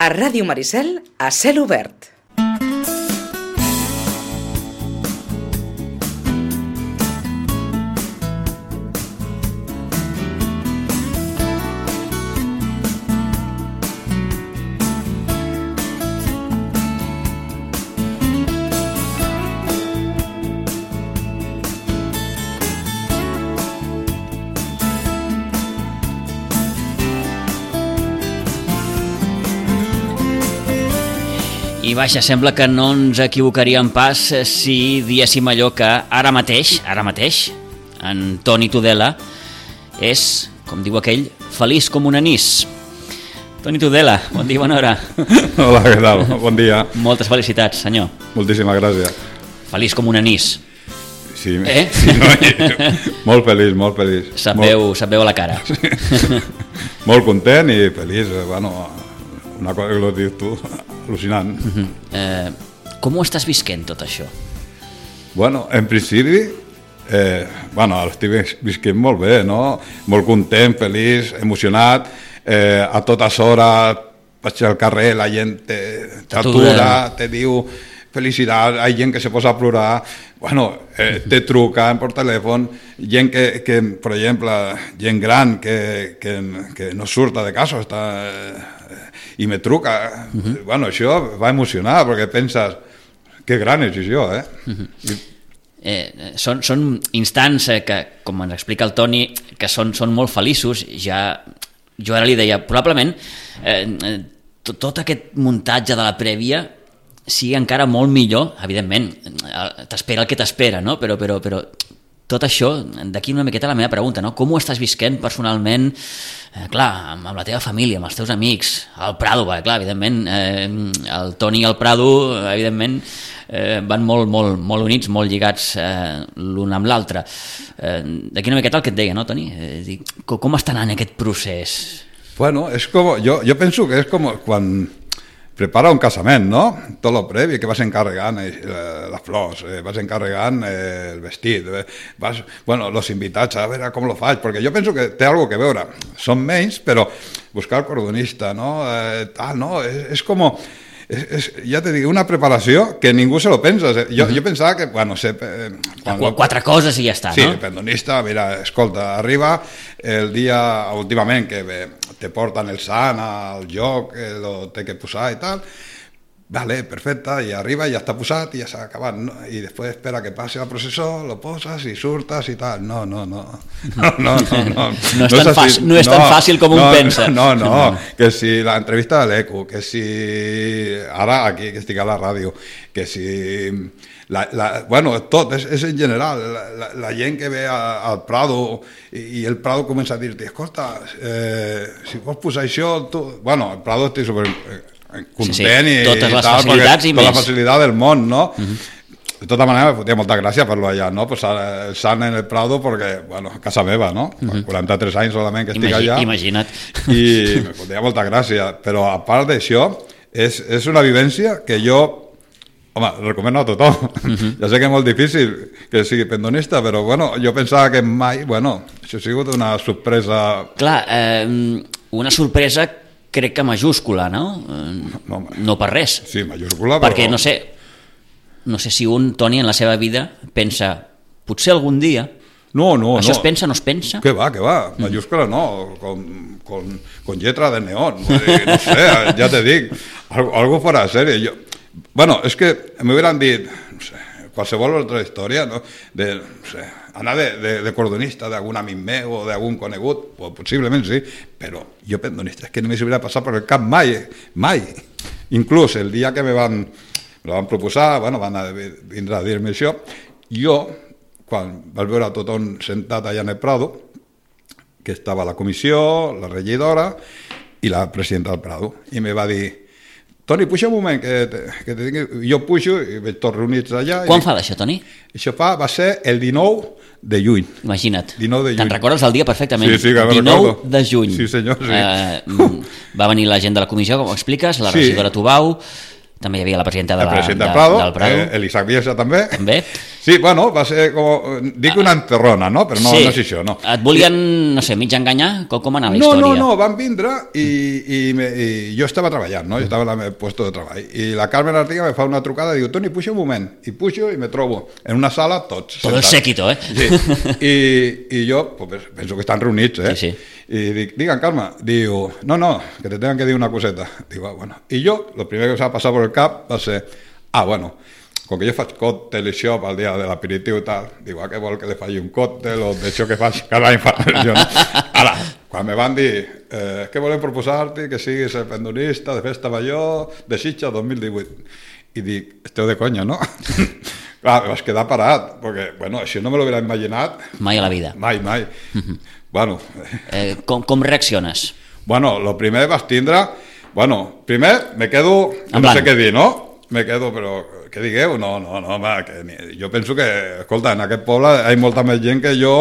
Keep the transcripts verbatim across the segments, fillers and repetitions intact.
A Ràdio Maricel, a cel obert. I vaja, sembla que no ens equivocaríem pas si diéssim allò que ara mateix, ara mateix, en Toni Tudela és, com diu aquell, feliç com un anís. Toni Tudela, bon dia, bona hora. Hola, què tal? Bon dia. Moltes felicitats, senyor. Moltíssimes gràcies. Feliç com un anís. Sí, eh? sí no, molt feliç, molt feliç. Se't molt... veu, se't veu a la cara. Sí. Molt content i feliç, bueno, una cosa que ho dius tu, al·lucinant. Uh-huh. eh, com ho estàs visquent, tot això? Bueno, en principi, eh, bueno, l'estic visquent molt bé, no? Molt content, feliç, emocionat, eh, a totes hores vaig al carrer, la gent t'atura, te diu felicitat, hi ha gent que se posa a plorar, bueno, eh, te truquen per telèfon, gent que, que, per exemple, gent gran que, que, que no surta de casa, està, eh, i me truca, uh-huh. Bueno, això va emocionar, perquè penses, que gran és això, eh? Uh-huh. I... Eh, són, són instants eh, que, com ens explica el Toni, que són, són molt feliços. Ja, jo ara li deia, probablement eh, tot, tot aquest muntatge de la prèvia sigui encara molt millor, evidentment, t'espera el que t'espera, no? Però, però, però tot això, d'aquí una miqueta la meva pregunta, no? Com ho estàs visquent personalment, eh, clar, amb, amb la teva família, amb els teus amics, al Prado, va, clar, evidentment, eh, el Toni i el Prado, evidentment, eh, van molt, molt, molt units, molt lligats eh, l'un amb l'altre. Eh, d'aquí una miqueta el que et deia, no, Toni? Eh, dic, com està anant aquest procés? Bueno, és com, jo, jo penso que és com quan prepara un casament, no? Tot lo previ, que vas encarregant eh, les flors, eh, vas encarregant eh, el vestit, eh, vas, bueno, los invitats, a veure com lo faig, perquè jo penso que té algo que veure. Són menys, però buscar el cordonista, no? Eh, tal, no? És, és com... És, és, ja te dic, una preparació que ningú se lo pensa. Jo, uh-huh. jo pensava que, bueno, sé... Eh, quan... Quatre coses i ja està, sí, no? Sí, pendonista, mira, escolta, arriba el dia, últimament, que bé, te porten el sant al joc, eh, lo té que posar i tal, vale, perfecte, i arriba, ja està posat i ja s'ha acabat, no? I després espera que passi la processó, lo poses i surtes i tal. No, no, no. No, no, no. No, no, és, tan no, fàcil, no és tan fàcil com no, un pensa. No, no, no, que si l'entrevista de l'Eco, que si... Ara, aquí, que estic a la ràdio, que si... La, la, bueno, tot, és, és en general, la, la, la gent que ve a, al Prado i, i el Prado comença a dir-te, escolta, eh, si vols posar això, tu... Bueno, el Prado estic super... content, sí, sí. I totes les tal, facilitats i tota més. La facilitat del món, no? Uh-huh. De tota manera, me fotia molta gràcia per-lo allà, no? Posar el sant en el Prado perquè, bueno, casa meva, no? Uh-huh. quaranta-tres anys solament que estic Imagi- allà. Imagina't. I me fotia molta gràcia, però a part d'això, és, és una vivència que jo, home, recomano a tothom. Uh-huh. Ja sé que és molt difícil que sigui pendonista, però, bueno, jo pensava que mai, bueno, això ha sigut una sorpresa... Clar, eh, una sorpresa crec que majúscula, no? No, no per res. Sí, majúscula, però... Perquè no sé, no sé si un, Toni, en la seva vida pensa, potser algun dia... No, no, Això no. es pensa, no es pensa? Que va, que va, majúscula no, con, con, con lletra de neón, no sé, ja te dic, algo, algo fuera de serie. Yo, bueno, és que m'hubieran dit, no sé, qualsevol altra història, no? De, no sé, anar de, de, de cordonista d'algun amic meu o d'algun conegut, pues, possiblement sí, però jo pendonista, és que no m'hi hauria passat per el cap mai, mai. Inclús el dia que me van, me la van proposar, bueno, van a vindre a dir-me això, jo, quan vaig veure tothom sentat allà en el Prado, que estava la comissió, la regidora i la presidenta del Prado, i me va dir, Toni, puja un moment, que, te, que te tingui... Jo pujo i veig tots reunits allà. Quan i... fa d'això, Toni? Això fa, va ser el dinou de juny. Imagina't. dinou de juny. Te'n recordes el dia perfectament? Sí, sí, que dinou recordo. de juny. Sí, senyor, sí. Eh, va venir la gent de la comissió, com ho expliques, la regidora sí. Tubau, també hi havia la presidenta, de la, la presidenta de, Prado, del Prado. Eh, l'Isaac Bielsa també. També. Sí, bueno, va ser com... Dic una enterrona, no? Però no, sí. no és això, no. Et volien, no sé, mig enganyar? Com, com anava la no, història? No, no, van vindre i, i, me, i jo estava treballant, no? Jo estava en el meu puesto de treball. I la Carmen Artiga me fa una trucada i diu, Toni, puja un moment. I pujo i me trobo en una sala tots Todo el séquito, eh? Sí. I, i jo pues, penso que estan reunits, eh? Sí, sí. I dic, digan, Carme, diu, no, no, que te tengan que dir una coseta. Digo, ah, bueno. I jo, lo primer que em va passar por el cap va ser, ah, bueno, com que jo faig còctel i això pel dia de l'aperitiu i tal, diu, ah, que vol que li faci un còctel o d'això que faig cada any. Jo, no? Ara, quan me van dir, eh, què volem proposar-te, que siguis el pendonista de Festa Major de Sitges dos mil divuit. I dic, esteu de conya, no? Clar, vas quedar parat, perquè, bueno, això no me l'hubiera imaginat. Mai a la vida. Mai, mai. Bueno. Eh, com, com reacciones? Bueno, lo primer vas tindre... Bueno, primer me quedo... No sé què dir, no? Me quedo, però... Què digueu? No, no, no, home, que ni... jo penso que, escolta, en aquest poble hi ha molta més gent que jo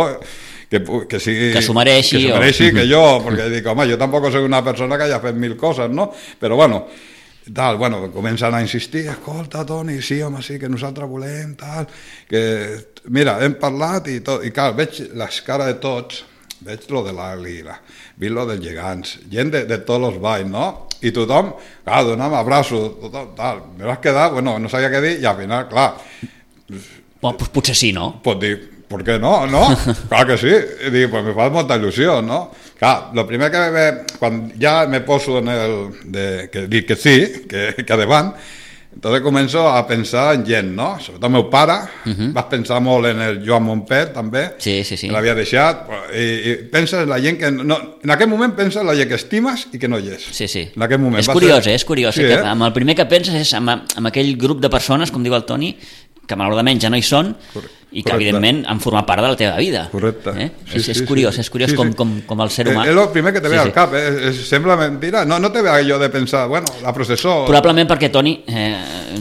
que, que sigui... Que s'ho mereixi. Que s'ho mereixi o... que jo, perquè dic, home, jo tampoc soc una persona que haya fet mil coses, no? Però, bueno, tal, bueno, comencen a insistir, escolta, Toni, sí, home, sí, que nosaltres volem, tal, que... Mira, hem parlat i tot, i clar, veig les cares de tots, veig lo de l'Àguila, veig lo dels gegants, gent de, de tots els balls, no? I tothom, clar, dona'm abraço, tothom, tal. Me vas quedar, bueno, no sabia què dir, i al final, clar... Bueno, pues potser sí, no? Pot dir, ¿por qué no? No? Clar que sí. I dic, pues me fa molta il·lusió, no? Clar, lo primer que ve, quan ja me poso en el... De, que dic que sí, que, que davant, entonces començo a pensar en gent, no? Sobretot el meu pare, uh-huh. Vas pensar molt en el Joan Montpet, també, sí, sí, sí. Que l'havia deixat, i, i penses en la gent que... No, en aquest moment penses en la gent que estimes i que no hi és. Sí, sí. En aquest moment. És curiós, ser... eh? És curiós. Sí, eh? eh? Amb el primer que penses és amb, amb aquell grup de persones, com diu el Toni, que malauradament ja no hi són, Correcte. I que evidentment han format part de la teva vida. Correcte. Eh? Sí, és, sí, és curiós, sí. és curiós sí, com, sí. com, com el ser humà... És el primer que te ve sí, al sí. cap, eh? És, sembla mentira. No, no te ve allò de pensar, bueno, la processó... Probablement perquè, Toni, eh,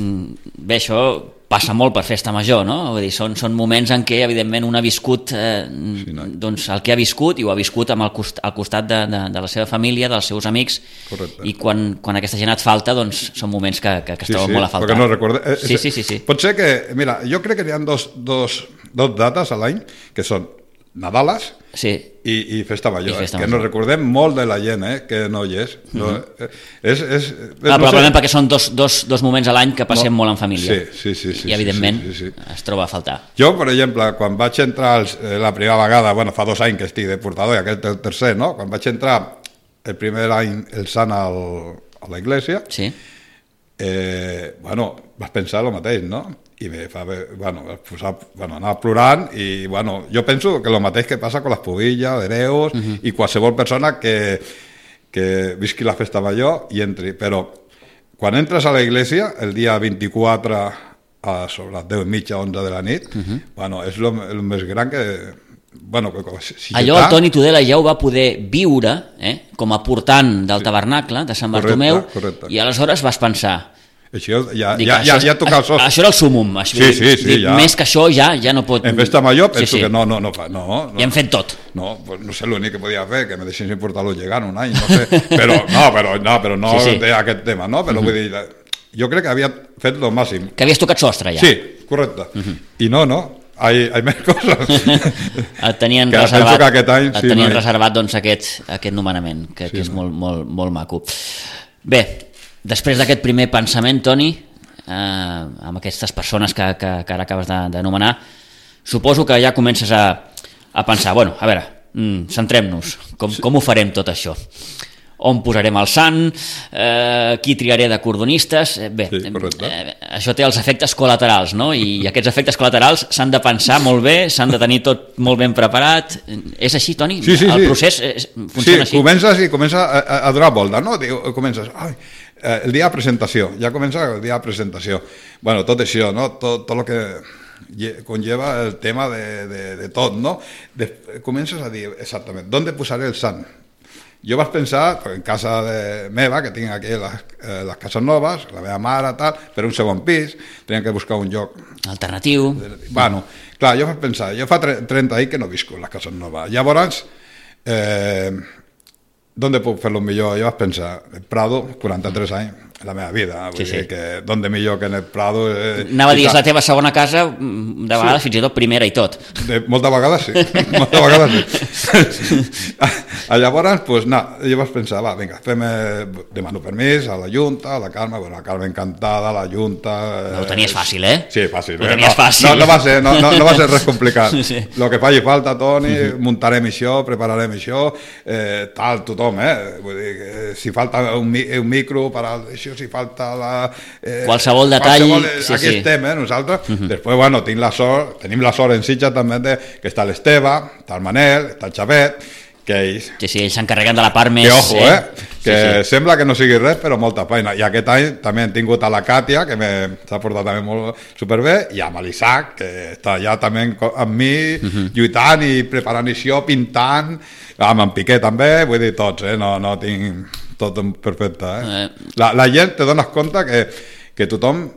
bé, això passa molt per festa major, no? Vull dir, són, són moments en què, evidentment, un ha viscut eh, sí, no? doncs, el que ha viscut i ho ha viscut amb el cost, al costat de, de, de la seva família, dels seus amics. Correcte. I quan, quan aquesta gent et falta, doncs són moments que, que, que es sí, troben sí, molt a faltar. No recorde... eh, sí, sí, sí, sí. Pot ser que, mira, jo crec que hi ha dos, dos, dos dates a l'any, que són Nadales sí. i, i Festa Major, I festa eh? Que major. nos recordem molt de la gent, eh? Que no hi és. No, uh-huh. és, és, és ah, no probablement sé. perquè són dos, dos, dos moments a l'any que passem no. molt en família. Sí, sí, sí, sí, I evidentment sí, sí, sí. es troba a faltar. Jo, per exemple, quan vaig entrar els, eh, la primera vegada, bueno, fa dos anys que estic de portador i aquest el tercer, no? Quan vaig entrar el primer any el sant al, a la iglesia, sí. eh, bueno, vas pensar el mateix, no? I me fa, bueno, posar, bueno, anar plorant i, bueno, jo penso que el mateix que passa amb les pubilles, l'hereus uh-huh. i qualsevol persona que, que visqui la festa major i entri, però quan entres a la iglesia el dia vint-i-quatre a sobre les deu i mitja, onze de la nit, uh-huh. bueno, és el més gran que... Bueno, si allò el Toni Tudela ja ho va poder viure eh, com a portant del sí. tabernacle de Sant Bartomeu, correcte, correcte. I aleshores vas pensar... Això ja, dic, ja, això, ja, ja toca el sos. Això era el súmum. Això, sí, sí, sí, dic, ja. Més que això ja ja no pot... En festa major penso sí, sí. que no, no, no fa... No, no, ja hem fet tot. No, pues no sé l'únic que podia fer, que me deixessin portar-lo llegant un any, no sé. Però no, però no, però no sí, sí. aquest tema, no? Però uh-huh. vull dir, jo crec que havia fet lo màxim. Que havies tocat sostre, ja. Sí, correcte. Uh-huh. I no, no, hay, hay més coses. Et tenien que reservat, que aquest any, et sí, tenien no hi... reservat doncs, aquest, aquest nomenament, que, sí, que és no. molt, molt, molt maco. Bé, després d'aquest primer pensament, Toni, eh, amb aquestes persones que, que, que ara acabes d'anomenar, suposo que ja comences a, a pensar, bueno, a veure, mm, centrem-nos, com, sí. com ho farem tot això? On posarem el sant, eh, qui triaré de cordonistes... Eh, bé, sí, eh, això té els efectes col·laterals, no? I aquests efectes col·laterals s'han de pensar molt bé, s'han de tenir tot molt ben preparat. És així, Toni? Sí, sí, el sí. procés eh, funciona sí, així? Comences i comença a, a donar volta, no? Comences, ai, el dia de presentació, ja comença el dia de presentació. Bueno, tot això, no? Tot, tot el que conlleva el tema de, de, de tot, no? De, comences a dir, exactament, ¿dónde posaré el sant? Jo vaig pensar, en casa de meva, que tinc aquí les, eh, les cases noves, la meva mare, tal, per un segon pis, tenia que buscar un lloc... Alternatiu. Bueno, clar, jo vaig pensar, jo fa trenta anys que no visco en les cases noves. Llavors, eh, ¿dónde puc fer-lo millor? Jo vaig pensar, el Prado, quaranta-tres anys, la meva vida, vull Sí, dir sí. que d'on de millor que en el Prado... Eh, Anava a dir, i és tal. la teva segona casa, de vegades fins i tot primera i tot. De, moltes vegades sí, moltes vegades sí. A llavors, pues, no, jo vaig pensar, va, vinga, fem, eh, demano permís a la Junta, a la Carme, bueno, la Carme encantada, la Junta... Eh, No ho tenies fàcil, eh? Sí, fàcil. Ho eh, tenies no, fàcil. No, no, va ser, no, no, no va ser res complicat. Sí. Lo que faci falta, Toni, uh -huh. muntarem això, prepararem això, eh, tal, tothom, eh? Vull dir, que si falta un, mi, un micro per a això, si falta la... Eh, Qualsevol detall, qualsevol, sí, aquí sí. estem, eh, nosaltres. Uh -huh. Després, bueno, tinc la sort, tenim la sort en Sitges també de, que està l'Esteve, està el Manel, està el Xavet, que ells... Sí, sí, ells s'encarreguen de la part més... Que ojo, eh? Que Sí, sí. sembla que no sigui res, però molta feina. I aquest any també hem tingut a la Càtia, que s'ha portat també molt superbé, i amb l'Isaac, que està allà també amb mi, uh -huh. lluitant i preparant això, pintant, amb en Piqué també, vull dir tots, eh? No, no tinc tot perfecte, eh? Eh. La, la gent te dones compte que, que tothom...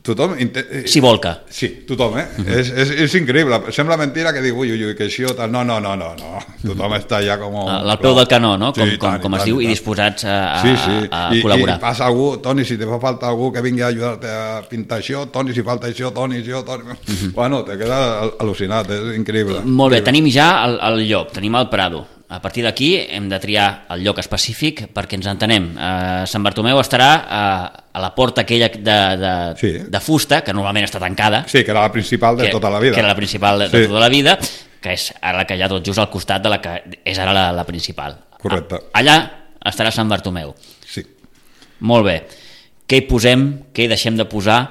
tothom inte- S'hi volca. Sí, tothom, eh? Uh -huh. és, és, és increïble. Sembla mentira que dic, ui, ui, ui, que això, tal... No, no, no, no, no. Tothom uh -huh. està ja com... Al peu del canó, no? Com, Sí, com, tant, com es tant, diu, i tant. disposats a, a, Sí, sí. a I, col·laborar. I passa algú, Toni, si te fa falta algú que vingui a ajudar-te a pintar això, Toni, si falta això, Toni, això, Toni... Uh -huh. Bueno, te queda al- al·lucinat, és increïble. Molt bé, Increïble. tenim ja el, el lloc, tenim el Prado. A partir d'aquí hem de triar el lloc específic perquè ens entenem. Eh, Sant Bartomeu estarà a, a la porta aquella de, de, Sí. de fusta, que normalment està tancada, Sí, que era la principal de que, tota la vida. que era la principal de, de Sí. tota la vida, que és ara la que hi ha tot just al costat de la que és ara la, la principal. Correcte. A, allà estarà Sant Bartomeu. Sí. Molt bé. Què hi posem? Què hi deixem de posar?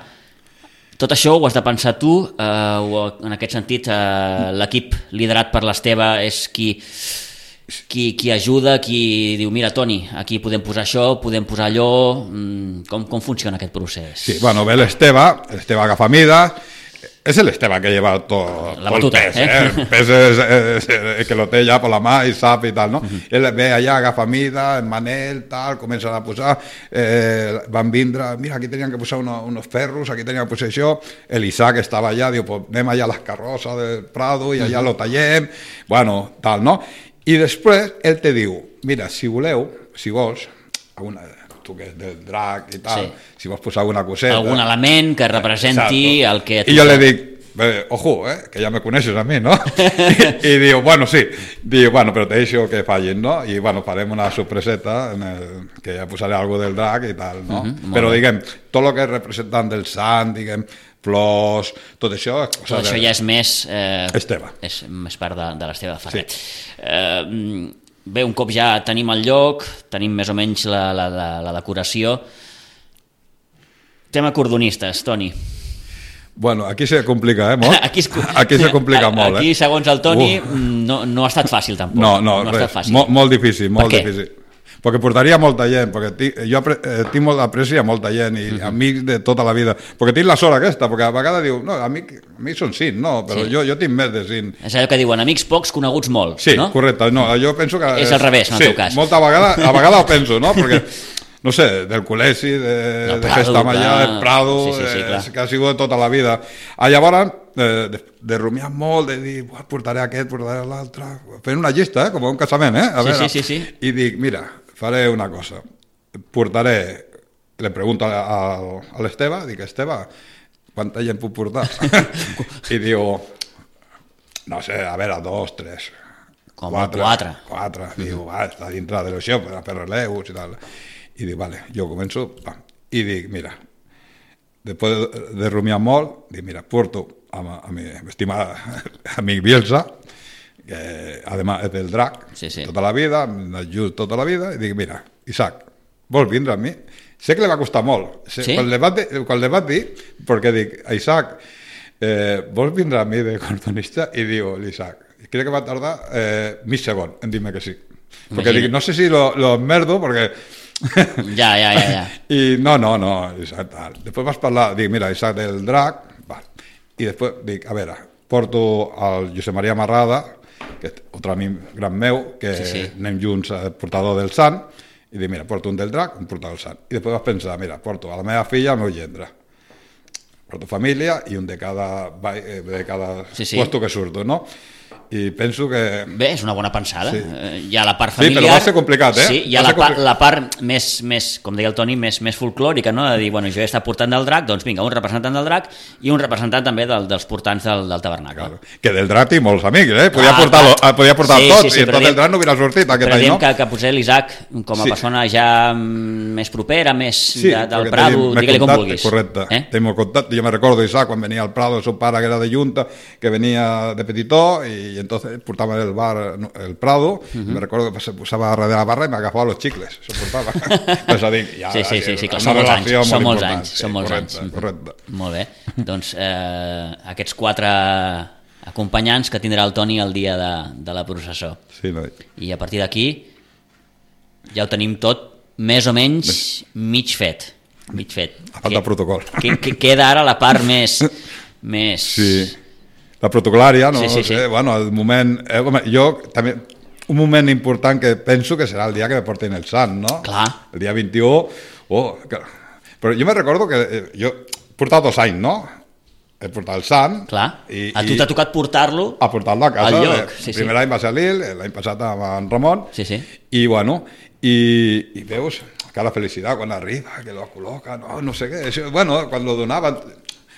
Tot això ho has de pensar tu, eh, o en aquest sentit eh, l'equip liderat per l'Esteve és qui, qui, qui ajuda, qui diu, mira, Toni, aquí podem posar això, podem posar allò... Mm, Com, com funciona aquest procés? Sí, bueno, ve l'Esteve, l'Esteve agafa mida, és l'Esteve que lleva tot, La tot el batuta, pes, eh? eh? El pes és, és, és, que lo té ja per la mà i sap i tal, no? Uh-huh. Ell ve allà, agafa mida, el Manel, tal, comença a posar, eh, van vindre, mira, aquí tenien que posar uno, unos ferros, aquí tenien que posar això, l'Isaac estava allà, diu, pues anem allà a les carrosses del Prado i allà uh-huh. lo tallem, bueno, tal, no? I després ell te diu, mira, si voleu, si vols, alguna, tu que és del drac i tal, Sí. si vols posar alguna coseta... Algun element que representi Exacto. el que... I jo li dic, bé, ojo, eh, que ja me coneixes a mi, no? I, i diu, bueno, sí, diu, bueno, però te deixo que fallin, no? I, bueno, farem una sorpreseta en el, que ja posaré algo del drac i tal, no? Uh -huh, però, bé. diguem, tot el que és representant del sant, diguem, flors, tot això... És cosa Tot això de... ja és més... Eh, Esteve. És més part de, de l'Esteve Ferrer. Sí. Eh, bé, un cop ja tenim el lloc, tenim més o menys la, la, la, la decoració. Tema cordonistes, Toni. Bueno, aquí se complica, eh, molt? Aquí, es, aquí se complica molt, eh? Aquí, segons el Toni, Uh. no, no ha estat fàcil, tampoc. No, no, no ha res, estat fàcil. molt, molt difícil, molt Per què? difícil. Perquè portaria molta gent, perquè tinc, jo apre, eh, tinc molt d'apreci a molta gent i uh -huh. amics de tota la vida, perquè tinc la sort aquesta, perquè a vegades diu, no, amics, amics són cinc, no, però Sí. jo, jo tinc més de cinc. És allò que diuen, amics pocs, coneguts molt, Sí, no? correcte, no, jo penso que... És al revés, en el sí, teu cas. molta vegada, a vegades ho penso, no, perquè no sé, del col·legi, de, Del de Prado, Festa Mallà, clar. del Prado, Sí, sí, sí, eh, clar. que ha sigut tota la vida. Ah, llavors, eh, de, de rumiar molt, de dir, "Buah, portaré aquest, portaré l'altre, fent una llista, eh, com un casament, eh? A Sí, veure, sí, sí, sí. I dic, mira, faré una cosa, portaré, le pregunto a, a, a l'Esteve, dic, Esteve, quanta gent puc portar? I diu, no sé, a veure, dos, tres, Com quatre. Quatre. Diu, va, està dintre de l'això, per, per releus i tal. I dic, vale, jo començo, pam. I dic, mira, després de, de rumiar molt, dic, mira, porto a, a mi estimat amic Bielsa, que además és del drac, Sí, sí. tota la vida, m'ajut tota la vida, i dic, mira, Isaac, vols vindre amb mi? Sé que li va costar molt. Sé, Sí? Quan li vaig dir, quan li vaig dir, perquè dic, Isaac, eh, vols vindre amb mi de cordonista? I diu l'Isaac, crec que va tardar eh, mig segon en dir-me que sí. Perquè Imagina. dic, no sé si lo, lo merdo, perquè... Ja, ja, ja, ja. I no, no, no, Isaac, tal. Després vas parlar, dic, mira, Isaac del drac, val. I després dic, a veure, porto al Josep Maria Marrada, que és un amic gran meu, que Sí, sí. anem junts al portador del sant, i dic, mira, porto un del drac, un portador del sant. I després vas pensar, mira, porto a la meva filla, al meu gendre, porto família i un de cada, ba- eh, de cada Sí, sí. puesto que surto, no? i penso que... Bé, és una bona pensada. Sí. Eh, Hi ha la part familiar... Sí, però va ser complicat, eh? Sí, hi ha Va la, ser part, compli- la part més, més, com deia el Toni, més, més folclòrica, no? De dir, bueno, jo he estat portant del drac, doncs vinga, un representant del drac i un representant també del, dels portants del, del tabernacle. Claro. Que del drac tinc molts amics, eh? Podia Clar, portar, clar. podia portar Sí, tots, sí, sí, i però tot diem- el drac no hubiera sortit aquest Però any, diem no? que, que potser l'Isaac, com a Sí. persona ja mm, més propera, més Sí, de, del perquè Prado, tenim- m'he digue-li com contat, vulguis. Correcte, Eh? tenim el contacte. Jo me recordo Isaac quan venia al Prado, el seu pare que era de Junta, que venia de petitó y entonces portaba el bar el Prado, uh -huh. y me recuerdo que se posaba darrere de la barra y me agafaba los chicles, se portava. Pues dic, ja, Sí, sí, sí, sí, clar, una són molts anys, relació són molt molts important. anys, Sí, són molts correcte, anys. correcte. Molt bé, doncs eh, aquests quatre acompanyants que tindrà el Toni el dia de, de la processó. Sí, no? I a partir d'aquí ja ho tenim tot més o menys mig fet. Mig fet. A falta Que- protocol. Que, que queda ara la part més... més... Sí. La protocolària, no, Sí, sí, no sé, sí. bueno, el moment... Eh, home, jo també... Un moment important que penso que serà el dia que me portin el sant, no? Clar. El dia vint-i-u... Oh, que... Però jo me recordo que eh, jo he portat dos anys, no? He portat el sant... Clar, i, a tu i- t'ha tocat portar-lo a portar-lo a casa. al lloc. Eh, Sí, el sí. primer any va ser a Lil, l'any passat amb en Ramon, Sí, sí. i bueno, i, i veus cada felicitat quan arriba, que lo col·loca, no, no sé què, això, bueno, quan lo donaven,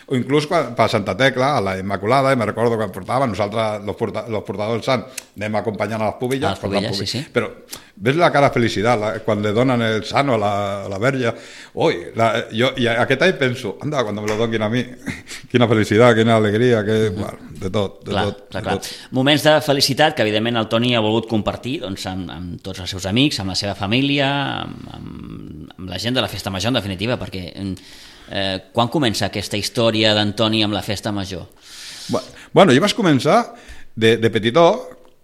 o inclús quan, per Santa Tecla, a la Immaculada, i me recordo que portaven, nosaltres, los, porta, los portadors del sant, anem acompanyant a les pubilles, A les portant pubilles, sí, sí. però ves la cara felicitat la, quan le donen el sant o la, la verge, ui, la, jo, i aquest any penso, anda, quan me lo donin a mi, quina felicitat, quina alegria, que, bueno, de tot, de Clar, tot, clar, de clar. tot. Moments de felicitat que evidentment el Toni ha volgut compartir doncs, amb, amb tots els seus amics, amb la seva família, amb, amb, amb la gent de la Festa Major en definitiva, perquè eh, quan comença aquesta història d'Antoni amb la Festa Major? Bueno, jo vaig començar de, de petitó,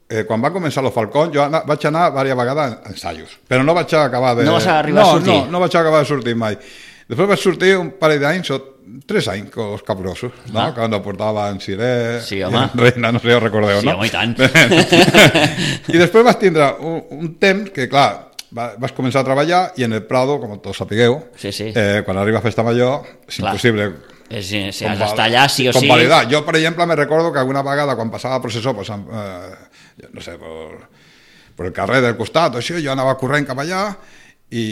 eh, quan va començar los Falcons, jo ana, vaig anar diverses vegades a ensaios, però no vaig acabar de... No vas arribar no, a sortir? No, no vaig acabar de sortir mai. Després vaig sortir un parell d'anys, o tres anys, con los Capgrossos, no? Ah. Quan portava en Siré, Sí, home. en Reina, no sé si ho recordeu, Sí, no? home, i tant. I després vaig tindre un, un temps que, clar, va, vas començar a treballar i en el Prado, com tots sapigueu, Sí, sí. eh, quan arriba a Festa Major, és Clar. impossible És, si has conval- d'estar allà sí o sí. convalidar. Jo, per exemple, me recordo que alguna vegada quan passava el processó, pues, eh, no sé, por, por el carrer del costat, o així, jo anava corrent cap allà i,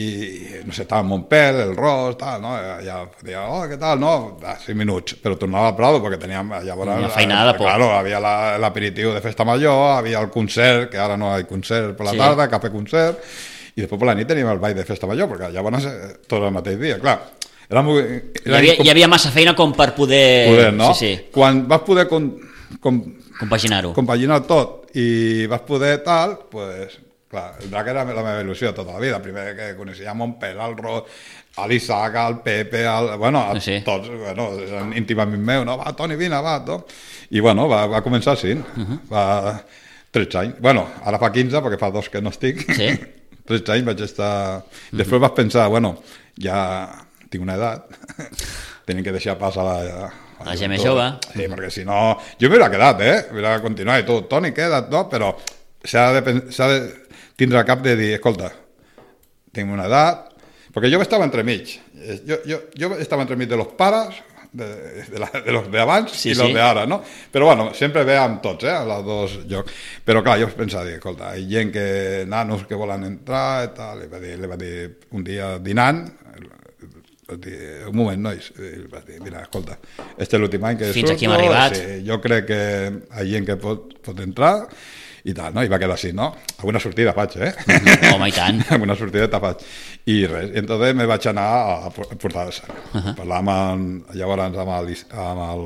no sé, estava en Montpel, el Ros, tal, no? Ja deia, oh, què tal, no? Ah, cinc minuts, però tornava al Prado perquè teníem, llavors... Una feinada de por. Claro, havia la- l'aperitiu de Festa Major, havia el concert, que ara no hi ha concert per la Sí. tarda, cafè concert, i després per la nit teníem el ball de Festa Major, perquè llavors eh, tot el mateix dia, clar. Era molt, Hi havia, hi havia massa feina com per poder... poder, no? Sí, sí, Quan vas poder com, com, compaginar-ho. compaginar tot i vas poder tal, pues, clar, el drac era la meva il·lusió tota la vida. Primer que coneixia a Montpel, al Ros, a l'Isaac, al Pepe, al, bueno, a Sí. tots, bueno, eren íntim amics meus, no? Va, Toni, vine, va, no? I, bueno, va, va començar així, uh -huh. va tretze anys. Bueno, ara fa quinze, perquè fa dos que no estic. Sí. tretze anys vaig estar... Després vas pensar, bueno, ja tinc una edat, tenim que deixar pas a la... La gent més jove. Sí, perquè si no... Jo m'hauria quedat, eh? M'hauria continuat i tu, Toni, queda't, no? Però s'ha de, pen- s'ha de tindre el cap de dir, escolta, tinc una edat... Perquè jo estava entremig. Jo, jo, jo estava entremig de los pares, de, de, la, de los de abans Sí, i sí. los de ara, no? Però bueno, sempre ve amb tots, eh? A els dos llocs. Però clar, jo pensava, dir, escolta, hi ha gent que, nanos que volen entrar i tal, li va dir, li va dir un dia dinant, va dir, un moment, nois, i va dir, mira, escolta, este és l'últim any que Fins surto, aquí hem arribat. sí, jo crec que hi ha gent que pot, pot entrar, i tal, no? I va quedar així, no? Alguna sortida faig, eh? Home, i tant. Alguna sortideta faig. I res, i entonces me vaig anar a portar el sang. Uh -huh. Parlàvem amb, llavors amb el, amb el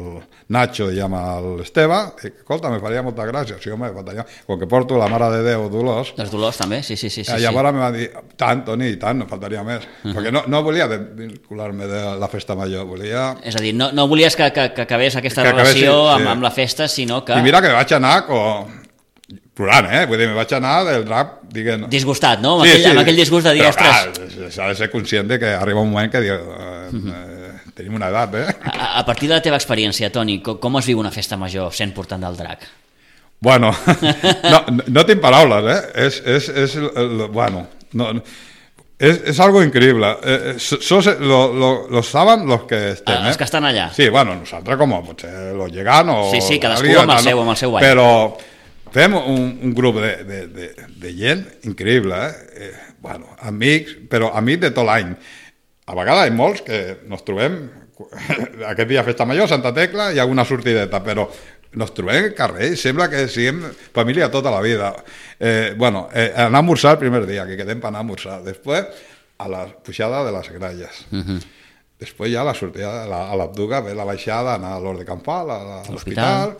Nacho i amb l'Esteve, i escolta, me faria molta gràcia, sí, home, faltaria, com que porto la Mare de Déu Dolors, Els Dolors també, sí, sí, sí. sí, sí, sí. llavors me va dir, tant, Toni, i tant, no faltaria més. Uh -huh. Perquè no, no volia vincular-me de la Festa Major, volia... És a dir, no, no volies que, que, que acabés aquesta Que acabés, relació sí, amb, sí. amb la festa, sinó que... I mira que vaig anar com... plorant, eh? Vull dir, me vaig anar del rap, diguem... Disgustat, no? Amb, aquell, amb aquell disgust de dir, Però, ostres... clar, s'ha de ser conscient de que arriba un moment que diu, eh, eh, tenim una edat, eh? A, a partir de la teva experiència, Toni, com, com es viu una festa major sent portant del drac? Bueno, no, no tinc paraules, eh? És, és, és el, bueno, no, no, és, és algo increïble. Eh, sos, lo, lo, lo saben los que estem, Ah, els que estan allà. Sí, bueno, nosaltres com potser los llegant o... Sí, sí, cadascú alguien, amb el no? seu- amb el seu ball. Però fem un, un grup de, de, de, de gent increïble, eh? eh? Bueno, amics, però amics de tot l'any. A vegades hi ha molts que nos trobem, aquest dia Festa Major, Santa Tecla, hi ha alguna sortideta, però nos trobem al carrer i sembla que siguem família tota la vida. Eh, bueno, eh, anar a esmorzar el primer dia, que quedem per anar a esmorzar. Després, a la pujada de les Gralles. Uh -huh. Després ja la sortida la, a l'Abduga, ve la baixada, anar a l'Hort de Campal, a, a l'hospital,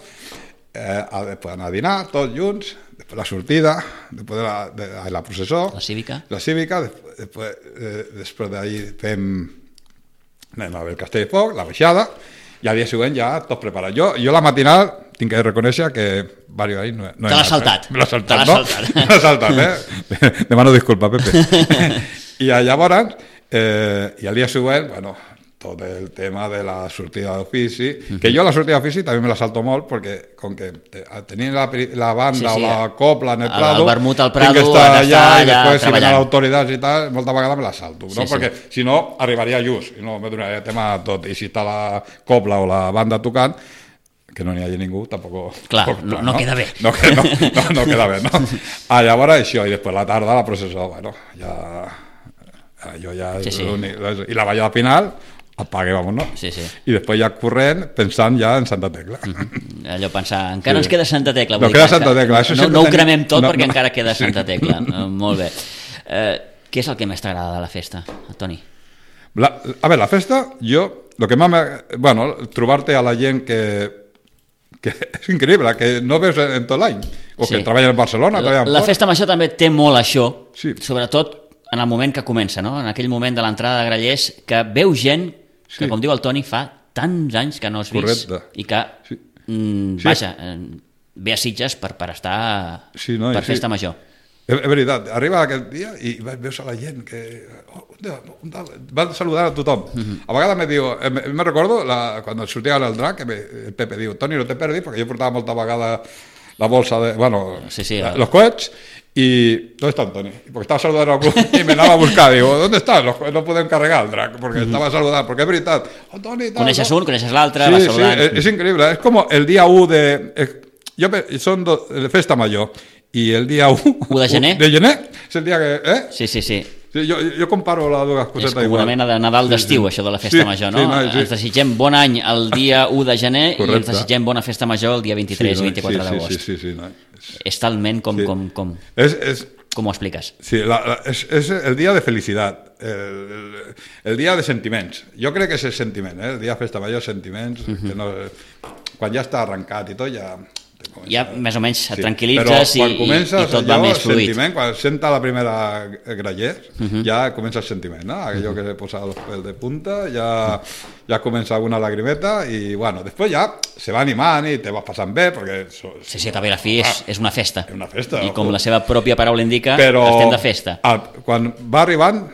eh, a, després anar a dinar, tots junts, després la sortida, després de la, de, de la processó, la cívica, la cívica després, després, eh, després d'ahir fem anem a ver el Castell de Foc, la baixada, i al dia següent ja tot preparat. Jo, jo la matinal tinc que reconèixer que varios ahí no, no te l'has saltat. Eh? Me l'ha saltat, te l'has no? saltat. Me l'ha saltat, eh? Demano disculpa, Pepe. I llavors, eh, i al dia següent, bueno, tot el tema de la sortida d'ofici, uh -huh. que jo la sortida d'ofici també me la salto molt, perquè com que tenint la, la banda sí, sí, o la copla en el Prado, el vermut al Prado, tinc que estar allà, allà i després si venen treballant. autoritats i tal, molta vegada me la salto, no? Sí, Perquè sí. si no arribaria just, i no me donaria tema tot, i si està la copla o la banda tocant, que no n'hi hagi ningú, tampoc... Clar, tampoc, no, no, no queda bé. No, no, no, no queda bé, no? Ah, llavors això, i després la tarda la processó, bueno, ja... Jo ja... Sí, sí. I la ballada final, apague, vamos, no? Sí, sí. I després ja corrent, pensant ja en Santa Tecla. Uh -huh. Allò pensar, encara Sí. ens queda Santa Tecla. No, vull queda dir, Santa Tecla. Això No, sempre no ho tenim- cremem tot no, perquè no. encara queda Sí. Santa Tecla. Uh, molt bé. Uh, què és el que més t'agrada de la festa, Toni? La, a veure, la festa, jo, el que m'ha... Bueno, trobar-te a la gent que, que és increïble, que no veus en tot l'any, o Sí. que treballen en Barcelona, La, treballen la fora. festa major també té molt això, Sí. sobretot en el moment que comença, no? En aquell moment de l'entrada de Grallers, que veu gent que, Sí. com diu el Toni, fa tants anys que no has vist Correcte. i que, Sí. mm, Sí. vaja, eh, ve a Sitges per, per estar Sí, no, i per sí. festa major. És, és veritat, arriba aquest dia i veus a la gent que... Oh, un dia, un dia, van saludar a tothom. Uh -huh. A vegades me diu, eh, me, me recordo, la, quan sortia el drac, que me, el Pepe diu, Toni, no te perdis, perquè jo portava molta vegada la bolsa de... Bueno, Sí, sí, la, el- los coets, y ¿dónde está Toni? Porque estaba saludando a algún y me anava a buscar, digo, ¿dónde estás? Los, no podem carregar el drac, perquè uh -huh. estava saludant, perquè és veritat, oh, Toni, tal, Coneixes no? un, coneixes l'altre, Sí, vas sí, saludant. és, és increïble, és com el dia u de... Eh, jo, són do, de festa major, i el dia u... u de gener? De gener, és el dia que... Eh? Sí, sí, sí. Sí, jo, jo comparo les dues És cosetes com igual. una mena de Nadal d'estiu, Sí, sí. això de la festa Sí, major, no? sí, no, sí. Ens desitgem bon any el dia u de gener i ens Correcte. desitgem bona festa major el dia vint-i-tres Sí, i no? vint-i-quatre sí, d'agost. Sí, sí, sí, sí, no? És talment com, Sí. com, com, És, és, com ho expliques. sí, la, la, és, és el dia de felicitat, el, el, el dia de sentiments. Jo crec que és el sentiment, eh? El dia de festa major, sentiments, uh -huh. que no, quan ja està arrencat i tot, ja... Ja més o menys et Sí, tranquil·litzes i, però quan i, comences, i tot va allò, més fluid. Sentiment, quan senta la primera graller, uh Mhm. -huh. ja comença el sentiment, no? Aquello uh -huh. que se posa los pelos de punta, ja, ja comença alguna lagrimeta i, bueno, després ja se va animant i te vas passant bé, perquè... So, Sí, sí, també la fi és, és una festa. És una festa, I com ojo. la seva pròpia paraula indica, però estem de festa. A, quan va arribant,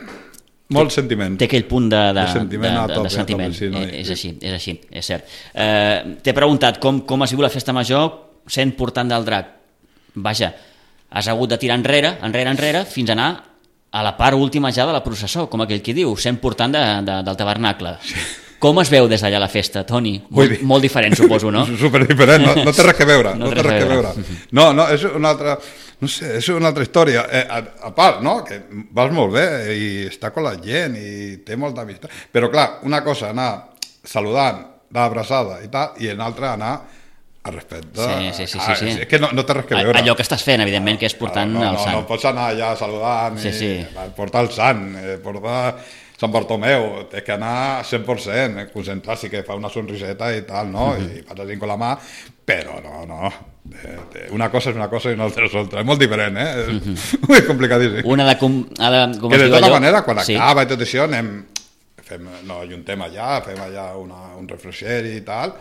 molt sentiment. Té aquell punt de, de, De de, sentiment de, a de, tope, de sentiment. a tope, sí, no? Eh, és així, és així, és cert. Eh, T'he preguntat com, com has sigut la festa major sent portant del drac. Vaja, has hagut de tirar enrere, enrere, enrere, fins a anar a la part última ja de la processó, com aquell qui diu, sent portant de, de, del tabernacle. Sí. Com es veu des d'allà la festa, Toni? Molt, molt diferent, suposo, no? Super diferent, no, no té res que veure. No no, té té res que veure. No, no, és una altra... No sé, és una altra història. Eh, a, a part, no?, que vas molt bé i està con la gent i té molta amistat. Però, clar, una cosa, anar saludant, d'abraçada i tal, i l'altra anar a respecte. Sí, sí, sí, Ah, sí, sí. És que no, no té res que veure. Allò que estàs fent, evidentment, que és portant no, no, el no, sant. no pots anar allà saludant, Sí, sí. i, portar el sant, eh, portar Sant Bartomeu, té que anar cent per cent, eh, concentrar, sí que fa una sonriseta i tal, no? Uh -huh. I fas així con la mà, però no, no. Eh, una cosa és una cosa i una altra és altra. És molt diferent, eh? És uh -huh. molt complicadíssim. Una de com, ha de, com Que es de diu tota allò? manera, quan Sí. acaba i tot això, anem, fem, no, ajuntem allà, fem allà una, un refresheri i tal,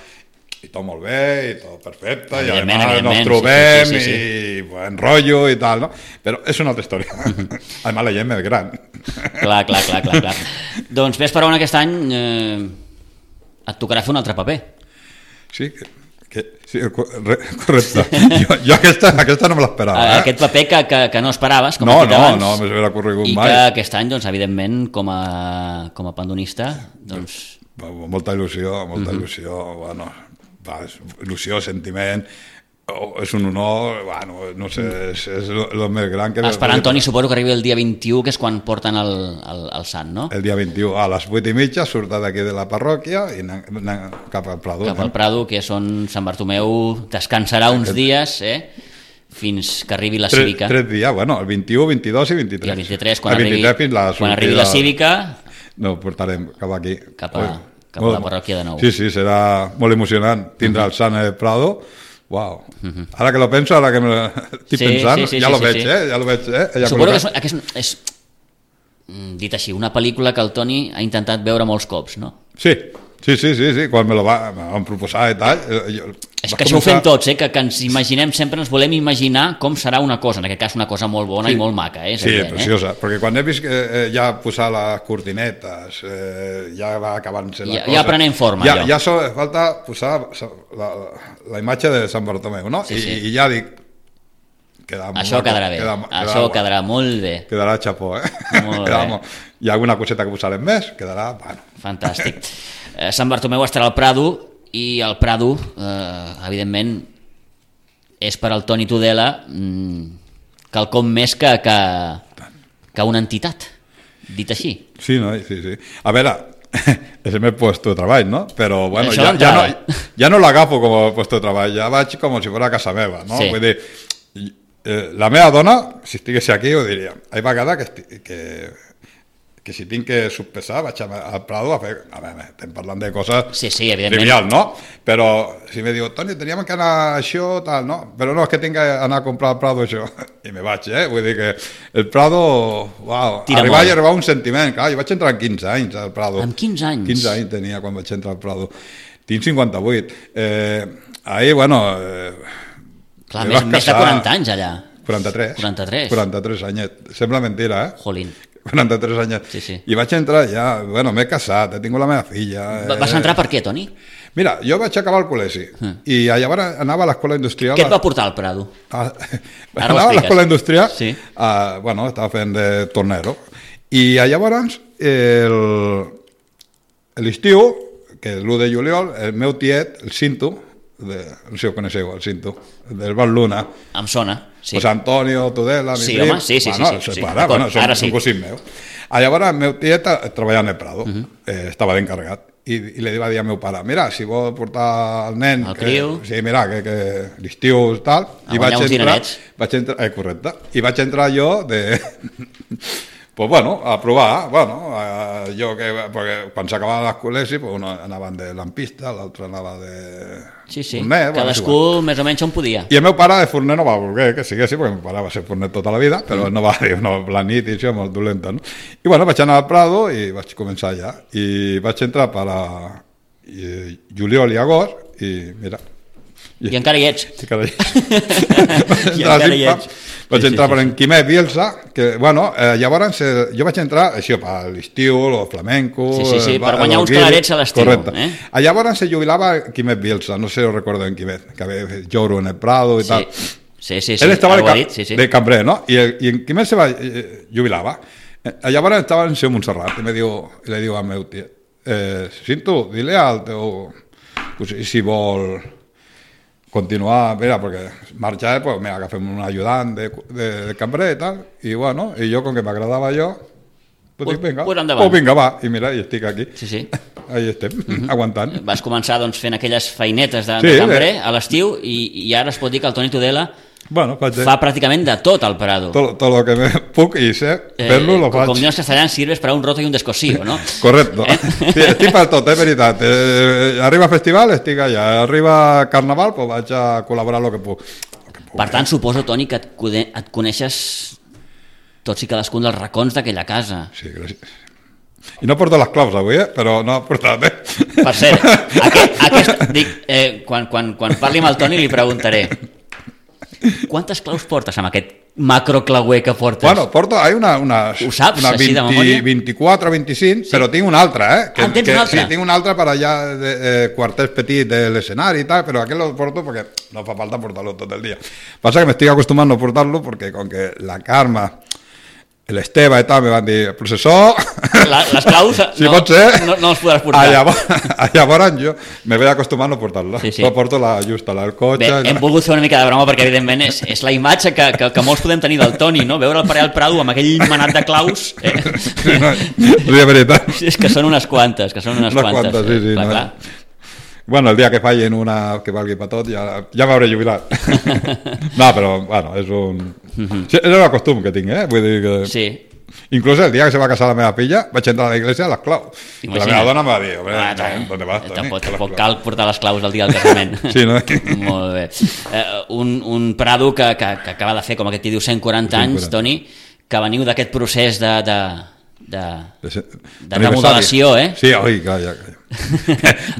i tot molt bé, i tot perfecte, i Evidentment, además nos evidentment, trobem, sí, sí, sí, sí. i buen rotllo i tal, no? Però és una altra història. Además, la gent més gran. Clar, clar, clar, clar, clar. Doncs ves per on aquest any eh, et tocarà fer un altre paper. Sí, que, que, sí correcte. Jo, jo aquesta, aquesta no me l'esperava. Eh? Aquest paper que, que, que no esperaves, com no, has dit no, abans, no, m'ho haguera corregut i mai. que aquest any, doncs, evidentment, com a, com a pandonista, doncs... Molta il·lusió, molta il·lusió, bueno, va, il·lusió, sentiment, Oh, és un honor, bueno, no sé, és, és el més gran que... Esperant, Toni, suposo que arribi el dia vint-i-u, que és quan porten el, el, el sant, no? El dia vint-i-u, a les vuit i mitja, surt d'aquí de la parròquia i anem cap al Prado. Cap al Prado, que és on Sant Bartomeu descansarà uns dies, eh? Fins que arribi la cívica. Tres, tres dies, bueno, el vint-i-u, vint-i-dos i vint-i-tres. I el vint-i-tres, quan, el vint-i-tres, arribi, la quan arribi la cívica... No, ho portarem cap aquí. Cap a, cap a la parròquia de nou. Sí, sí, serà molt emocionant tindre uh -huh. el sant al Prado. Wow. Uh -huh. Ara que lo penso, ara que me estic sí, pensant, sí, sí, ja sí, lo sí, veig, sí. eh? Ja lo veig, eh? Ja Suposo col·locat. que és, és, és, dit així, una pel·lícula que el Toni ha intentat veure molts cops, no? Sí, sí, sí, sí, sí. Quan me lo va, me van proposar i tal... Jo, és que això començar... ho fem tots, eh? que, que ens imaginem, sempre ens volem imaginar com serà una cosa, en aquest cas una cosa molt bona sí. i molt maca. Eh? És sí, evident, preciosa, eh? perquè quan he vist que eh, ja posar les cortinetes, eh, ja va acabant-se la ja, cosa... Ja prenem forma, ja, allò. Ja so, falta posar la, la imatge de Sant Bartomeu, no? Sí, I, sí. I ja dic... Queda això quedarà bé, queda, això quedarà, quedarà molt bé. Quedarà xapó, eh? Molt bé. Hi ha alguna coseta que posarem més, quedarà... Bueno. Fantàstic. Eh, Sant Bartomeu estarà al Prado, i el Prado, eh, evidentment, és per al Toni Tudela mmm, quelcom més que, que, que una entitat, dit així. Sí, no? Sí, sí. A veure, és el meu puesto de treball, no? Però, bueno, això ja, ja no, ja no l'agafo com a puesto de treball, ja vaig com si fos a casa meva, no? Sí. Vull dir, eh, la meva dona, si estigués aquí, ho diria. Hi va vegades que, esti que que si tinc que sospesar vaig al Prado a fer... A veure, estem parlant de coses sí, sí, evidentment. trivial, no? Però si me diu, Toni, teníem que anar a això, tal, no? Però no, és que tinc que anar a comprar al Prado això. I me vaig, eh? Vull dir que el Prado... Uau, Tira arribar molt. i arribar un sentiment. Clar, jo vaig entrar amb quinze anys al Prado. Amb quinze anys? quinze anys tenia quan vaig entrar al Prado. Tinc cinquanta-vuit. Eh, ahir, bueno... Eh, Clar, més, més de quaranta anys allà. quaranta-tres. quaranta-tres. quaranta-tres anys. Sembla mentira, eh? Jolín. quaranta-tres anys. Sí, sí. I vaig entrar ja, bueno, m'he casat, he tingut la meva filla. Eh... Vas entrar per què, Toni? Mira, jo vaig acabar el col·legi mm. i llavors anava a l'escola industrial... Què et va portar al Prado? A... Anava a l'escola industrial, sí. a... bueno, estava fent de tornero, i llavors l'estiu, que l'u de juliol, el meu tiet, el Cinto, de, no sé si ho coneixeu, el Cinto, del Val Luna. Em sona, sí. Pues Antonio Tudela, mi sí, prim, home, sí, sí, bueno, sí, sí, sí. Para, bueno, són, ara sí. són cosins meus. Llavors el meu tiet treballava en el Prado, uh -huh. eh, estava d'encarregat, i, i li va dir al meu pare, mira, si vol portar el nen... El que, criu. sí, mira, que, que l'estiu i tal... A i vaig uns entrar, dinerets. vaig entrar, eh, correcte, i vaig entrar jo de... pues bueno, a provar, bueno, eh, jo que, perquè quan s'acabava l'escol·legi, pues uno anaven de lampista, l'altre anava de... Sí, sí, forner, cadascú bueno, més o menys on podia. I el meu pare de forner no va voler que siguessi, perquè el meu pare va ser forner tota la vida, però mm. no va dir, no, la nit i això, molt dolenta, no? I bueno, vaig anar al Prado i vaig començar allà, i vaig entrar per a i, juliol i agost, i mira... I, I encara hi ets. I encara hi ets. I encara hi ets. Vaig sí, entrar sí, per sí, en Quimet Bielsa, que, bueno, eh, llavors eh, jo vaig entrar, això, per l'estiu, el flamenco... Sí, sí, sí, el, per guanyar uns calarets a l'estiu. Correcte. Eh? Llavors se jubilava Quimet Bielsa, no sé si ho recordo en Quimet, que havia fet Lloro en el Prado i sí. tal. Sí, sí, sí. Él estava de, ca dit, sí, sí. de cambrer, no? I, el, i en Quimet se va, eh, jubilava. Eh, llavors estava en seu Montserrat i me diu, i le diu al meu tiet, eh, Cinto, dile al teu... Pues, si vol... continuar, mira, perquè marxar, pues, mira, agafem un ajudant de, de, de cambrer i tal, i bueno, i jo, com que m'agradava jo, pues, pues dic, vinga, pues endavant. Oh, vinga, va, i mira, i estic aquí. Sí, sí. Ahí estem, uh -huh. aguantant. Vas començar, doncs, fent aquelles feinetes de, sí, de cambrer eh? a l'estiu, i, i ara es pot dir que el Toni Tudela bueno, fa pràcticament de tot al Prado. Tot, tot el que me puc i sé, fer-lo, eh, lo faig. Com diuen els castellans, sirves per a un roto i un descosío, no? Correcte. Eh? Sí, estic per tot, és veritat. Eh, arriba festival, estic allà. Arriba carnaval, pues vaig a col·laborar el que puc. Lo que puc Per tant, eh? suposo, Toni, que et, et coneixes tots i cadascun dels racons d'aquella casa. Sí, gràcies. I no porto les claus avui, eh? Però no he portat, eh? Per cert, aquest, aquest, dic, eh, quan, quan, quan parli amb el Toni li preguntaré quantes claus portes amb aquest macroclauer que portes? Bueno, porto, hay una, una, Ho saps, una així de vint, memòria? vint-i-quatre, vint-i-cinc, sí. Però tinc una altra, eh? Que, ah, tens que, una altra? Sí, tinc una altra per allà, de, eh, quartets petits de l'escenari i tal, però aquest lo porto perquè no fa falta portar-lo tot el dia. Passa que m'estic acostumant a portar-lo perquè com que la Carme, l'Esteve i tal me van dir, el processó... la, les claus si no, pot ser, no, no els podràs portar. A llavors, a llavors jo me vaig acostumar a no portar-la. Sí, sí. La porto la justa, la del cotxe. Bé, hem volgut fer una mica de broma perquè evidentment és, és la imatge que, que, que molts podem tenir del Toni, no? Veure el Pare del Prado amb aquell manat de claus. Eh? Sí, no, de veritat. És que són unes quantes, que són unes, Unes quantes. quantes, sí, sí, clar, no. clar. Bueno, el dia que fallin una que valgui per tot ja, ja m'hauré jubilat. No, però, bueno, és un... Sí, és un costum que tinc, eh? Vull dir que... Sí. Inclús el dia que se va casar la meva filla vaig entrar a la iglesia a les claus. I la meva dona em va dir, home, ah, ¿dónde vas, Toni? Tampoc, tampoc cal portar les claus el dia del casament. Sí, no? Molt bé. Eh, un, un Prado que, que, que acaba de fer, com aquest diu, cent quaranta anys, Toni, que veniu d'aquest procés de... de de, de, de remodelació, eh? Sí, oi, calla, calla.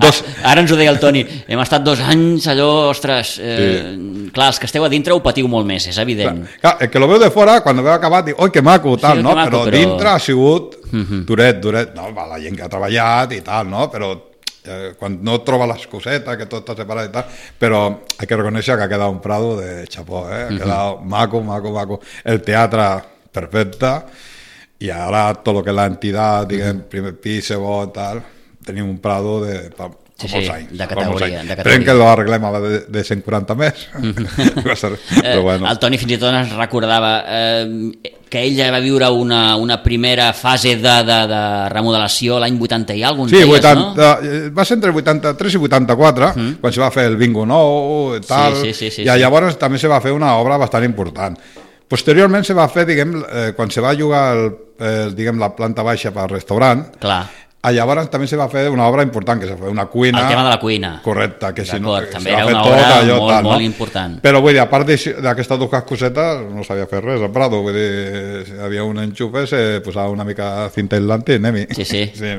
Dos... Ara ens ho deia el Toni, hem estat dos anys allò, ostres, eh, sí. Clar, els que esteu a dintre ho patiu molt més, és evident. Clar, clar, el que lo veu de fora, quan ho veu acabat, diu, oi, que maco, tal, sí, no? Maco, però, però dintre ha sigut uh-huh. duret, duret, no? Va, la gent que ha treballat i tal, no? Però eh, quan no troba les cosetes, que tot està separat i tal, però hay que reconèixer que ha quedat un Prado de chapó, eh? Ha quedat uh-huh. maco, maco, maco. El teatre, perfecte, i ara tot el que és l'entitat, diguem, uh-huh. primer pis, segon, tal, tenim un Prado de... Pa, sí, molts sí, anys, de categoria. De Esperem que l'arreglem de, de cent quaranta més. Però bueno. El Toni fins i tot ens recordava eh, que ell ja va viure una, una primera fase de, de, de remodelació l'any vuitanta i alguns sí, dies, vuitanta, no? Va ser entre vuitanta-tres i vuitanta-quatre, mm. quan se va fer el bingo nou i tal, sí, sí, sí, sí, i sí. llavors també se va fer una obra bastant important. Posteriorment se va fer, diguem, eh, quan se va jugar el, el, diguem, la planta baixa per restaurant, clar. Llavors també se va fer una obra important, que se va fer una cuina... El tema de la cuina. Correcte, que si no... També era una obra allò, molt, tal, molt no? important. Però vull dir, a part d'aquestes dues cosetes, no sabia fer res a Prado, vull dir, si hi havia un enxufe, se posava una mica cinta aislante i anem-hi. Sí, sí. sí.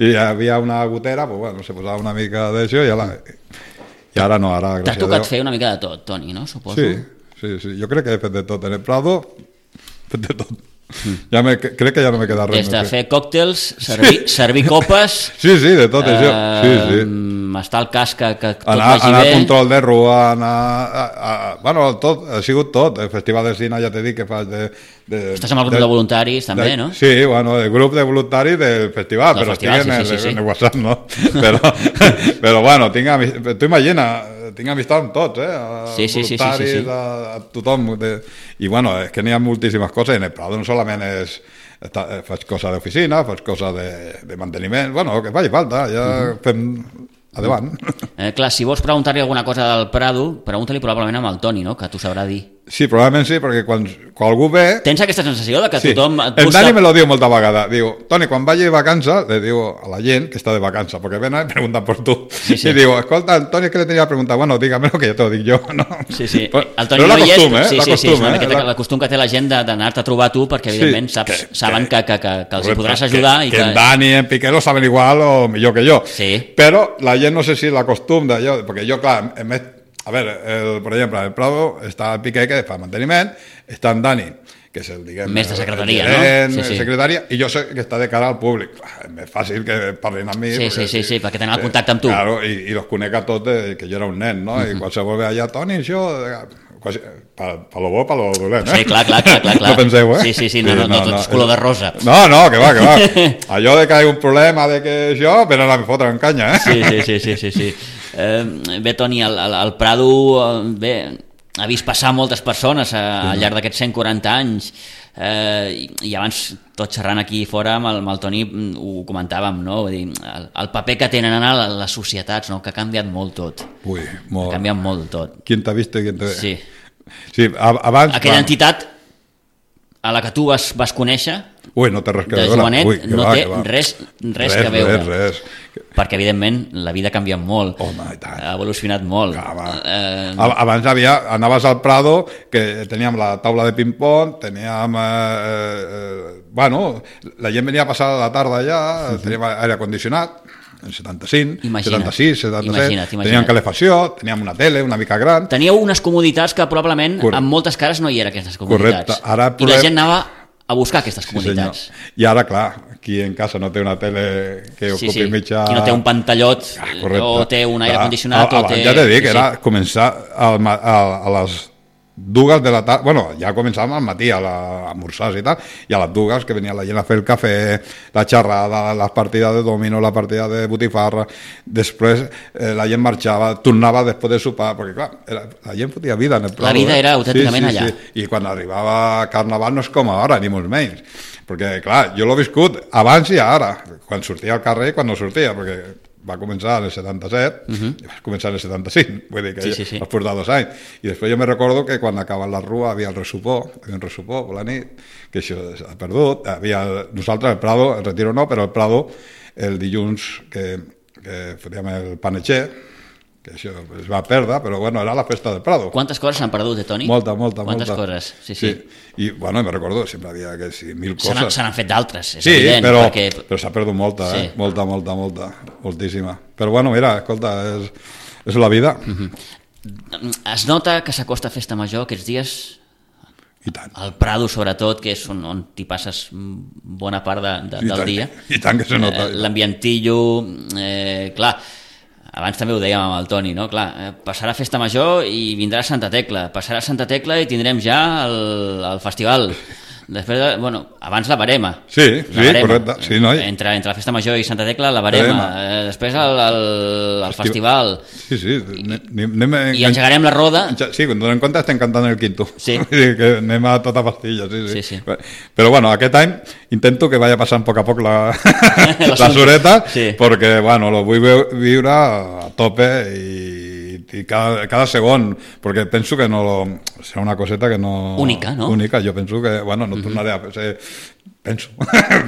I hi havia una gotera, pues bueno, se posava una mica d'això i ara... I ara no, ara... T'ha tocat fer una mica de tot, Toni, no? Suposo. Sí, sí, sí, jo crec que he fet de tot. En el Prado, he fet de tot. Ja me, crec que ja no me queda res. Des de fer còctels, servir, sí. servir copes... Sí, sí, de tot això. Sí, sí. Està al cas que, que tot anar, vagi anar bé. Anar a control de rua, anar... A, a, a, bueno, tot, ha sigut tot. El Festival de Cine, ja t'he dit que fas de... de Estàs amb el grup de, de voluntaris, també, de, no? Sí, bueno, el grup de voluntaris del festival, del però festival, estic en, sí, sí, sí. en el WhatsApp, no? però, però bueno, tinc, tu imagina, tinc amistat amb tots, eh? A sí, sí, voluntaris, sí, sí, sí. A, a tothom. De, I bueno, és que n'hi ha moltíssimes coses, en el Prado no solament és... faig cosa d'oficina, faig cosa de, de manteniment, bueno, que faci falta, ja uh-huh. fem endavant. Eh, clar, si vols preguntar-li alguna cosa del Prado, pregunta-li probablement amb el Toni, no? Que t'ho sabrà dir. Sí, probablement sí, perquè quan, quan algú ve... Tens aquesta sensació de que sí. tothom... El Dani me lo diu molta vegada. Diu, Toni, quan vagi de vacances, le diu a la gent que està de vacances, perquè venen i pregunten per tu. Sí, sí. I diu, escolta, el Toni, que le tenia a preguntar? Bueno, dígamelo que ja t'ho dic jo. No? Sí, sí. Però, el Toni però no hi és... Eh? Sí, sí, costum, sí, és una eh? miqueta la... costum que té la gent d'anar-te a trobar tu, perquè evidentment sí, saps, que, saben que, que, que, que els hi podràs ajudar. Que, i que, que en Dani i en Piqué lo saben igual o millor que jo. Sí. Però la gent no sé si la costum d'allò, perquè jo, clar, en més... A veure, el, per exemple, el Prado està el Piqué, que fa manteniment, està en Dani, que és el, diguem... Més de secretaria, el gerent, no? Sí, sí. secretària, i jo sé que està de cara al públic. És més fàcil que parlin amb mi. Sí, perquè, sí, sí, sí, perquè tenen el contacte amb tu. Claro, i, i los conec a tots, de, que jo era un nen, no? I uh-huh. qualsevol ve allà, Toni, això... Quasi, pa, pa lo bo, pa lo dolent, eh? Sí, clar, clar, clar, clar. No penseu, eh? Sí, sí, sí, no, no, no, no tot és color de rosa. No, no, que va, que va. Allò de que hi ha un problema, de que això, venen a fotre en canya, eh? Sí, sí, sí, sí, sí, sí. Eh, bé, Toni, el, el, el Prado, bé, ha vist passar moltes persones a, al llarg d'aquests cent quaranta anys, eh, i, i abans, tot xerrant aquí fora amb el, amb el Toni, ho comentàvem, no? Vull dir, el, el paper que tenen a les societats, no? Que ha canviat molt tot. Ui, molt. Ha canviat molt tot. Qui t'ha vist i qui t'ha... Sí. Sí, abans... Aquella quan... entitat a la que tu vas, vas conèixer, ui, no té res que de veure. jovenet, Ui, no va, té va. res, res, res que veure. Res, res. Perquè, evidentment, la vida ha canviat molt. Home, i tant. Ha evolucionat molt. Ah, eh... Abans havia, anaves al Prado, que teníem la taula de ping-pong, teníem... Eh, eh, bueno, la gent venia a passar la tarda allà, uh-huh. teníem aire condicionat, en setanta-cinc, imagina't, setanta-sis, setanta-set, imagina't, imagina't. teníem calefacció, teníem una tele una mica gran. Teníeu unes comoditats que probablement Correcte. amb moltes cares no hi era aquestes comoditats. Correcte. Ara, I la gent anava a buscar aquestes comoditats. Sí, I ara, clar, qui en casa no té una tele que sí, ocupi sí. mitja... Qui no té un pantallot ah, o té un aire clar. condicionat a, o té... Ja t'he dit que sí, era sí. començar a, a, a les dues de la tarda, bueno, ja començàvem al matí a l'esmorzars i tal, i a les dues que venia la gent a fer el cafè, la xerrada, les partides de domino, la partida de botifarra, després eh, la gent marxava, tornava després de sopar, perquè clar, era, la gent fotia vida en el Prado. La vida eh? era autènticament sí, sí, allà. Sí. I quan arribava Carnaval no és com ara, ni molt menys, perquè clar, jo l'he viscut abans i ara, quan sortia al carrer i quan no sortia, perquè va començar en el setanta-set, uh-huh. i va començar en el setanta-cinc, vull dir que sí, sí, sí. has portat dos anys. I després jo me recordo que quan acaba la rua havia el ressupor, havia un ressupor per la nit, que això s'ha perdut. Havia, nosaltres el Prado, el Retiro no, però el Prado, el dilluns que, que fotíem el panetxer, que això es va perdre, però bueno, era la festa del Prado. Quantes coses s'han perdut, eh, Toni? Molta, molta, Quantes molta. coses, sí, sí. sí. I bueno, me recordo, sempre havia que sí, mil se coses. Se n'han fet d'altres, és sí, evident. però, perquè... però s'ha perdut molta, sí. eh? molta, molta, molta, moltíssima. Però bueno, mira, escolta, és, és la vida. Uh-huh. Es nota que s'acosta Festa Major aquests dies? I tant. Al Prado, sobretot, que és on, on t'hi passes bona part de, de, I del tant, dia. I tant que se nota. Eh, L'ambientillo, eh, clar, abans també ho dèiem amb el Toni, no? Clar, eh, passarà Festa Major i vindrà Santa Tecla. Passarà Santa Tecla i tindrem ja el, el festival. Després, de, bueno, abans la Barema. Sí, la sí, barema. correcte. Sí, noi. Entre, entre la Festa Major i Santa Tecla, la Barema. Eh, després el, el, el festival. Sí, sí. Anem, I engegarem la roda. Sí, quan donem compte estem cantant el quinto. Sí. Que anem a tota pastilla, sí, sí. sí, sí. Però bueno, aquest any intento que vaya passant a poc a poc la, la sureta, sí. perquè bueno, lo vull viure a tope i i cada, cada segon, perquè penso que no serà una coseta que no... Única, no? Única, jo penso que, bueno, no tornaré a ser... Penso,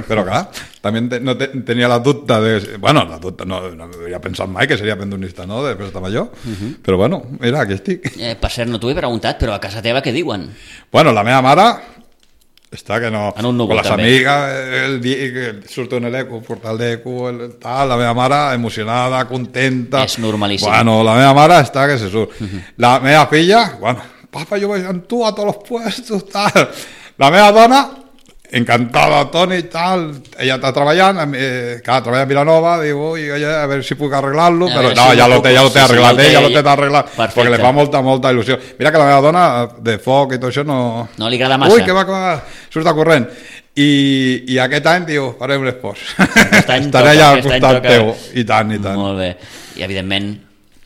però clar, també te, no te, tenia la dubte de... Bueno, la dubte, no, no havia pensat mai que seria pendonista, no?, de Festa Major, uh-huh. però bueno, mira, aquí estic. Eh, per cert, no t'ho he preguntat, però a casa teva què diuen? Bueno, la meva mare... Està que no... En un núvol, con les també. amigues, el dia que surto en l'eco, porta el d'eco, el tal, la meva mare emocionada, contenta... És normalíssim. Bueno, la meva mare està que se surt. Uh-huh. La meva filla, bueno, papa, jo vaig amb tu a tots els puestos, tal... La meva dona, encantada, Toni, tal, ella està treballant, eh, clar, treballa a Vilanova, diu, ui, a veure si puc arreglar-lo, però no, si ja lo té, ja lo té sí, arreglat, sí, ella lo té arreglat, perfecte. perquè li fa molta, molta il·lusió. Mira que la meva dona, de foc i tot això, no... No li agrada massa. Ui, que va, que va, surt a corrent. I, i aquest any, diu, farem l'espòs. Estaré allà al costat teu. I tant, i tant. Molt bé. I, evidentment,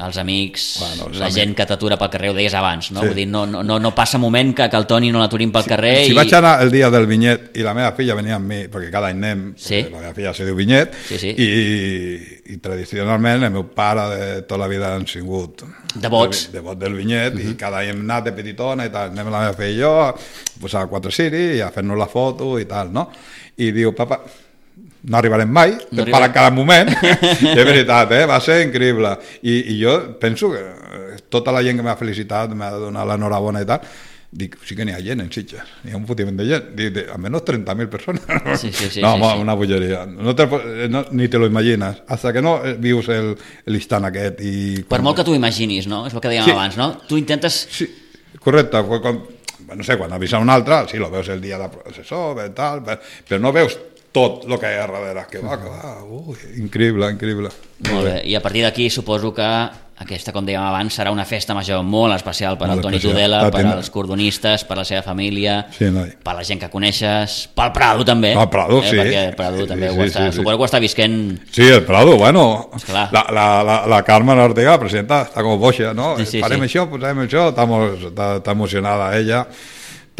els amics, bueno, els la amics. Gent que t'atura pel carrer, ho deies abans, no? Sí. Vull dir, no, no, no passa moment que, que el Toni no l'aturin pel carrer. Si, si i... vaig anar el dia del vinyet i la meva filla venia amb mi, perquè cada any anem, sí. la meva filla se diu vinyet, sí, sí. I, i tradicionalment el meu pare de tota la vida han sigut devots de, devot del vinyet, uh-huh. i cada any hem anat de petitona i tal, anem la meva filla i jo pues, a Quatre Ciri i a fer-nos la foto i tal, no? I diu, papa, no arribarem mai, no per en cada moment, i és veritat, eh? Va ser increïble. I, I jo penso que tota la gent que m'ha felicitat, m'ha donat l'enhorabona i tal, dic, sí que n'hi ha gent en Sitges, n'hi ha un fotiment de gent, dic, de, almenys trenta mil persones. Sí, sí, sí, no, sí, sí. Una bolleria. No te, no, ni te lo imagines, hasta que no vius l'instant aquest. I per molt que tu imaginis, no? És el que dèiem sí. abans, no? Tu intentes... Sí, correcte. Quan, no sé, quan avisa un altre, sí, lo veus el dia de processó, tal, però no veus tot el que hi ha darrere, que va, que va, ui, increïble, increïble. Molt bé, i a partir d'aquí suposo que aquesta, com dèiem abans, serà una festa major molt especial per al Toni Tudela, per als cordonistes, per la seva família, sí, no. per la gent que coneixes, pel Prado també. El Prado, eh, sí. Perquè el Prado també sí, ho està, sí, sí, suposo que ho està visquent... Sí, el Prado, bueno, esclar. la, la, la, la Carmen Ortega, la presidenta, està com boixa, no? Sí, sí, Farem sí. això, posarem això, està, està, està emocionada ella,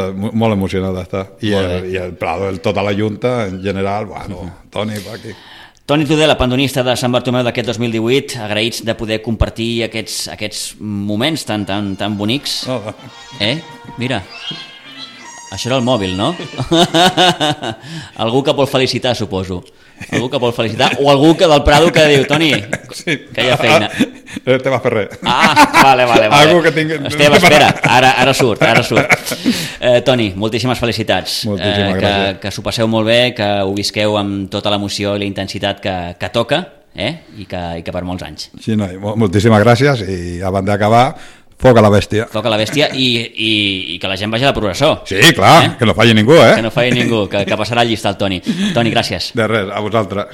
molt emocionada està, i el, i el Prado, el, tota la Junta en general, bueno, uh-huh. Toni, va aquí. Toni Tudela, pandonista de Sant Bartomeu d'aquest dos mil divuit, agraïts de poder compartir aquests, aquests moments tan, tan, tan bonics. Oh, oh. Eh? Mira, això era el mòbil, no? Algú que vol felicitar, suposo. Algú que vol felicitar, o algú que del Prado que diu, Toni, sí. que hi ha feina. Esteve Ferrer. Ah, vale, vale, vale. Algú que tingui... Esteve, espera, ara, ara surt, ara surt. Eh, Toni, moltíssimes felicitats. Moltíssimes eh, que, gràcies. que s'ho passeu molt bé, que ho visqueu amb tota l'emoció i la intensitat que, que toca, eh? I, que, i que per molts anys. Sí, no, moltíssimes gràcies i abans d'acabar, foc a la bèstia. Foc a la bèstia i, i, i que la gent vagi a la processó. Sí, clar, eh? Que no falli ningú, eh? Que no falli ningú, que, que passarà el llista el Toni. Toni, gràcies. De res, a vosaltres.